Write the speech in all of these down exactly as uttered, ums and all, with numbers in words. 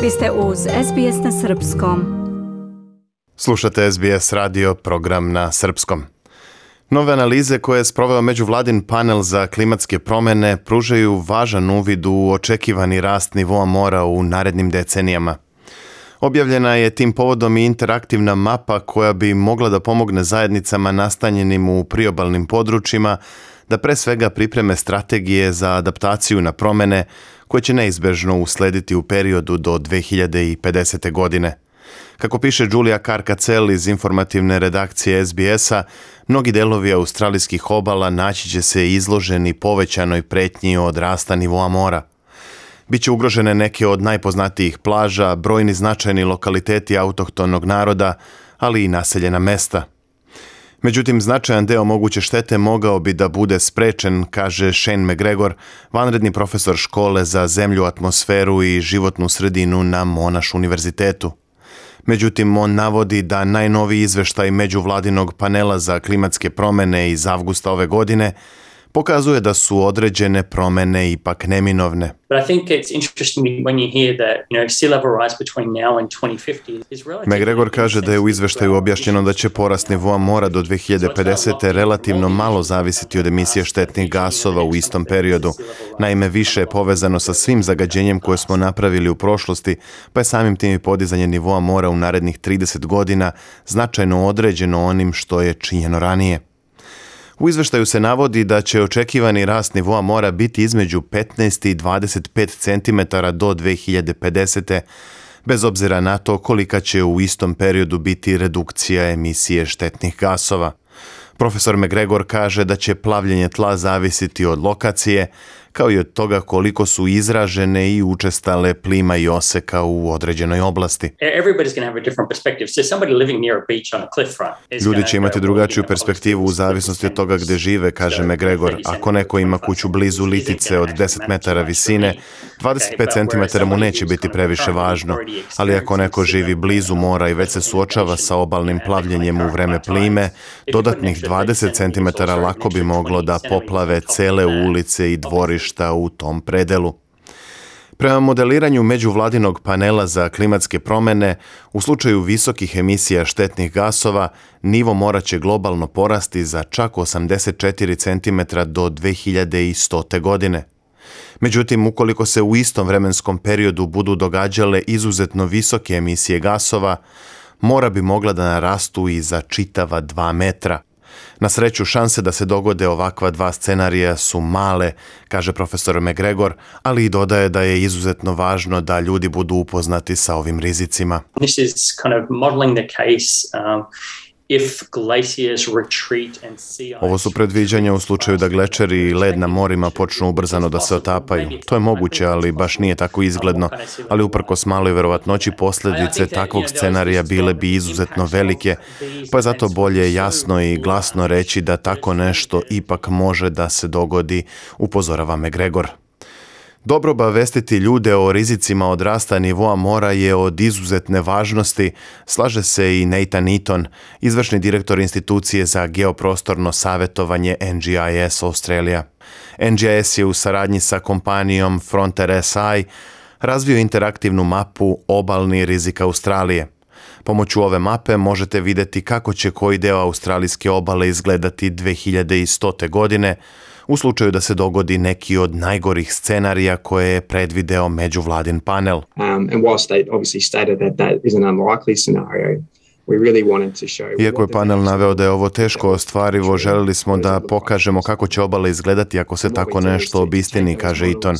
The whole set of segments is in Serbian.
Vi ste uz S B S na srpskom. Slušate S B S radio, program na srpskom. Nove analize koje je sproveo međuvladin panel za klimatske promjene pružaju važan uvid u očekivani rast nivoa mora u narednim decenijama. Objavljena je tim povodom i interaktivna mapa koja bi mogla da pomogne zajednicama nastanjenim u priobalnim područjima da pre svega pripreme strategije za adaptaciju na promjene koje će neizbežno uslediti u periodu do dve hiljade pedesete. godine. Kako piše Julia Carcacel iz informativne redakcije S B S-a, mnogi delovi australijskih obala naći će se izloženi povećanoj pretnji od rasta nivoa mora. Biće ugrožene neke od najpoznatijih plaža, brojni značajni lokaliteti autohtonog naroda, ali i naseljena mesta. Međutim, značajan deo moguće štete mogao bi da bude sprečen, kaže Shane McGregor, vanredni profesor škole za zemlju, atmosferu i životnu sredinu na Monash univerzitetu. Međutim, on navodi da najnoviji izveštaj međuvladinog panela za klimatske promjene iz avgusta ove godine pokazuje da su određene promjene ipak neminovne. McGregor kaže da je u izveštaju objašnjeno da će porast nivoa mora do dve hiljade pedesete. relativno malo zavisiti od emisije štetnih gasova u istom periodu. Naime, više je povezano sa svim zagađenjem koje smo napravili u prošlosti, pa je samim tim i podizanje nivoa mora u narednih trideset godina značajno određeno onim što je činjeno ranije. U izveštaju se navodi da će očekivani rast nivoa mora biti između petnaest i dvadeset pet centimetara do dve hiljade pedesete. bez obzira na to kolika će u istom periodu biti redukcija emisije štetnih gasova. Profesor McGregor kaže da će plavljenje tla zavisiti od lokacije, kao i od toga koliko su izražene i učestale plima i oseka u određenoj oblasti. Ljudi će imati drugačiju perspektivu u zavisnosti od toga gde žive, kaže McGregor. Ako neko ima kuću blizu litice od deset metara visine, dvadeset pet centimetara mu neće biti previše važno, ali ako neko živi blizu mora i već se suočava sa obalnim plavljenjem u vreme plime, dodatnih dvadeset centimetara lako bi moglo da poplave cele ulice i dvorišta u tom predelu. Prema modeliranju međuvladinog panela za klimatske promjene, u slučaju visokih emisija štetnih gasova, nivo mora će globalno porasti za čak osamdeset četiri centimetra do dve hiljade stote. godine. Međutim, ukoliko se u istom vremenskom periodu budu događale izuzetno visoke emisije gasova, mora bi mogla da narastu i za čitava dva metra. Na sreću, šanse da se dogode ovakva dva scenarija su male, kaže profesor McGregor, ali i dodaje da je izuzetno važno da ljudi budu upoznati sa ovim rizicima. This is kind of modeling the case um, if glaciers retreat and sea ice. Ovo su predviđanja u slučaju da glečeri i led na morima počnu ubrzano da se otapaju. To je moguće, ali baš nije tako izgledno, ali uprkos maloj verovatnoći posljedice takvog scenarija bile bi izuzetno velike, pa je zato bolje jasno i glasno reći da tako nešto ipak može da se dogodi, upozorava McGregor. Dobro obavestiti ljude o rizicima od rasta nivoa mora je od izuzetne važnosti, slaže se i Nathan Eaton, izvršni direktor institucije za geoprostorno savjetovanje N G I S Australia. N G I S je u saradnji sa kompanijom Frontier S I razvio interaktivnu mapu obalni rizik Australije. Pomoću ove mape možete vidjeti kako će koji deo australijske obale izgledati dve hiljade stote. godine, u slučaju da se dogodi neki od najgorih scenarija koje je predvideo međuvladin panel. Um, and whilst they obviously stated that that is an unlikely scenario, we really wanted to show. Iako je panel naveo da je ovo teško ostvarivo, želili smo da pokažemo kako će obale izgledati ako se tako nešto obistini, kaže Eaton.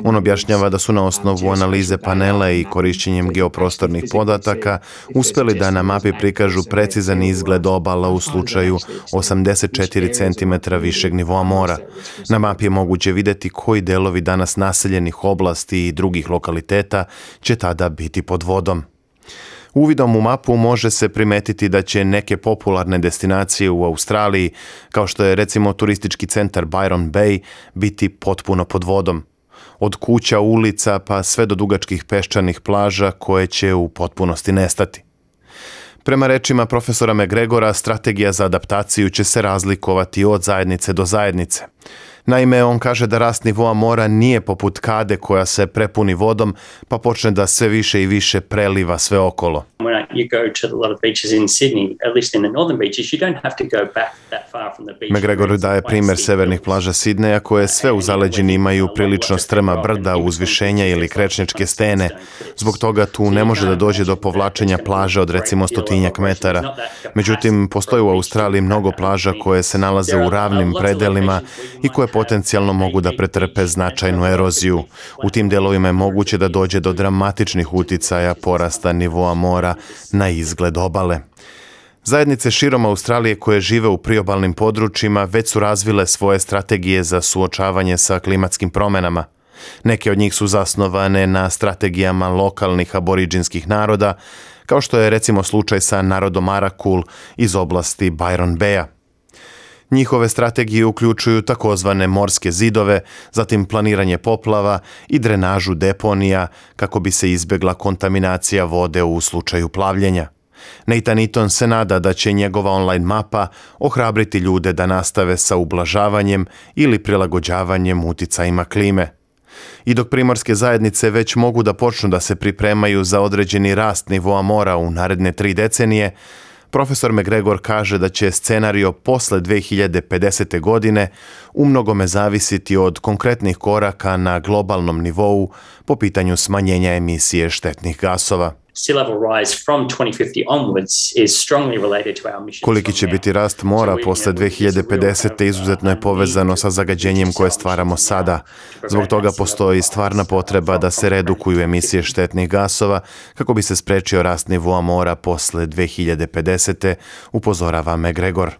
On objašnjava da su na osnovu analize panela i korišćenjem geoprostornih podataka uspjeli da na mapi prikažu precizan izgled obala u slučaju osamdeset četiri centimetra višeg nivoa mora. Na mapi je moguće vidjeti koji delovi danas naseljenih oblasti i drugih lokaliteta će tada biti pod vodom. Uvidom u mapu može se primetiti da će neke popularne destinacije u Australiji, kao što je recimo turistički centar Byron Bay, biti potpuno pod vodom. Od kuća, ulica pa sve do dugačkih peščanih plaža koje će u potpunosti nestati. Prema rečima profesora McGregora, strategija za adaptaciju će se razlikovati od zajednice do zajednice. Naime, on kaže da rast nivoa mora nije poput kade koja se prepuni vodom pa počne da sve više i više preliva sve okolo. When you go to a lot of beaches in Sydney, at least in the northern beaches, you don't have to go back that far from the beach. McGregor daje primjer severnih plaža Sidneja koje sve u zaleđini imaju prilično strma brda, uzvišenja ili krečničke stene. Zbog toga tu ne može da dođe do povlačenja plaže od recimo stotinjak metara. Međutim, postoji u Australiji mnogo plaža koje se nalaze u ravnim predelima i koje potencijalno mogu da pretrpe značajnu eroziju. U tim delovima je moguće da dođe do dramatičnih uticaja porasta nivoa mora na izgled obale. Zajednice širom Australije koje žive u priobalnim područjima već su razvile svoje strategije za suočavanje sa klimatskim promjenama. Neke od njih su zasnovane na strategijama lokalnih aboriđinskih naroda, kao što je recimo slučaj sa narodom Arakul iz oblasti Byron Baya. Njihove strategije uključuju takozvane morske zidove, zatim planiranje poplava i drenažu deponija kako bi se izbjegla kontaminacija vode u slučaju plavljenja. Nathan Eaton se nada da će njegova online mapa ohrabriti ljude da nastave sa ublažavanjem ili prilagođavanjem uticajima klime. I dok primorske zajednice već mogu da počnu da se pripremaju za određeni rast nivoa mora u naredne tri decenije, profesor McGregor kaže da će scenario posle dve hiljade pedesete. godine umnogome zavisiti od konkretnih koraka na globalnom nivou po pitanju smanjenja emisije štetnih gasova. Sea level rise from twenty fifty onwards is strongly related to our emissions. Koliki će biti rast mora posle dve hiljade pedesete. izuzetno je povezano sa zagađenjem koje stvaramo sada. Zbog toga postoji stvarna potreba da se redukuju emisije štetnih gasova kako bi se sprečio rast nivoa mora posle dve hiljade pedesete. upozorava McGregor.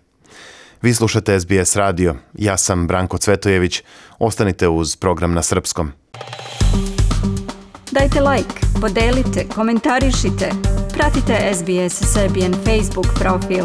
Vi slušate S B S radio. Ja sam Branko Cvetojević. Ostanite uz program na srpskom. Dajte like, podelite, komentarišite. Pratite S B S Serbian Facebook profil.